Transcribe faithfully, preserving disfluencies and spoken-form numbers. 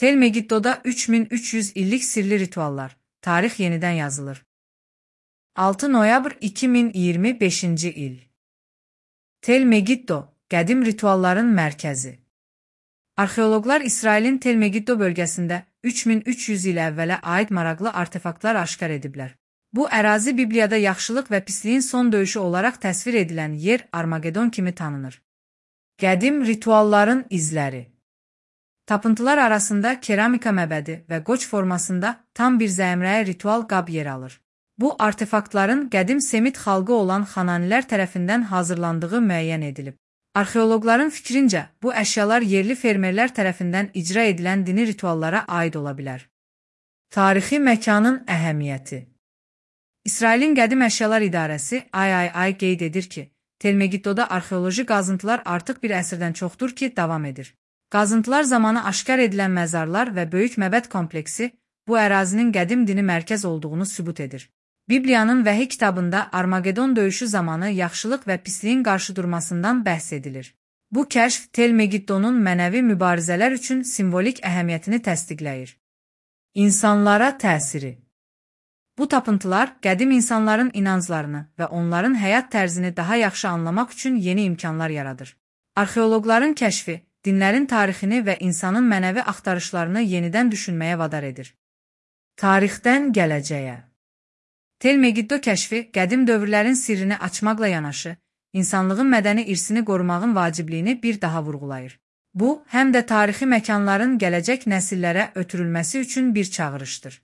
Tel Megiddo'da üç min üç yüz illik sirli rituallar. Tarix yeniden yazılır. altı noyabr iki min iyirmi beşinci il. Tel Megiddo, qədim ritualların mərkəzi. Arxeoloqlar İsrailin Tel Megiddo bölgəsində üç min üç yüz il əvvələ aid maraqlı artefaktlar aşkar ediblər. Bu ərazi Bibliyada yaxşılıq və pisliyin son döyüşü olaraq təsvir edilən yer Armagedon kimi tanınır. Qədim ritualların izləri. Tapıntılar arasında keramika məbədi və qoç formasında tam bir zəmrəyə ritual qab yer alır. Bu artefaktların qədim Semit xalqı olan Xananilər tərəfindən hazırlandığı müəyyən edilib. Arxeoloqların fikrincə, bu əşyalar yerli fermerlər tərəfindən icra edilən dini rituallara aid ola bilər. Tarixi məkanın əhəmiyyəti. İsrailin Qədim Əşyalar İdarəsi I I I qeyd edir ki, Tel Megiddoda arxeoloji qazıntılar artıq bir əsrdən çoxdur ki, davam edir. Qazıntılar zamanı aşkar edilən məzarlar və böyük məbəd kompleksi bu ərazinin qədim dini mərkəz olduğunu sübut edir. Bibliyanın Vəhi kitabında Armagedon döyüşü zamanı yaxşılıq və pisliyin qarşıdurmasından bəhs edilir. Bu kəşf Tel Megiddonun mənəvi mübarizələr üçün simvolik əhəmiyyətini təsdiqləyir. İnsanlara təsiri. Bu tapıntılar qədim insanların inanclarını və onların həyat tərzini daha yaxşı anlamaq üçün yeni imkanlar yaradır. Arxeoloqların kəşfi dinlərin tarixini və insanın mənəvi axtarışlarını yenidən düşünməyə vadar edir. Tarixdən gələcəyə. Tel Megiddo kəşfi qədim dövrlərin sirrini açmaqla yanaşı, insanlığın mədəni irsini qorumağın vacibliyini bir daha vurğulayır. Bu, həm də tarixi məkanların gələcək nəsillərə ötürülməsi üçün bir çağırışdır.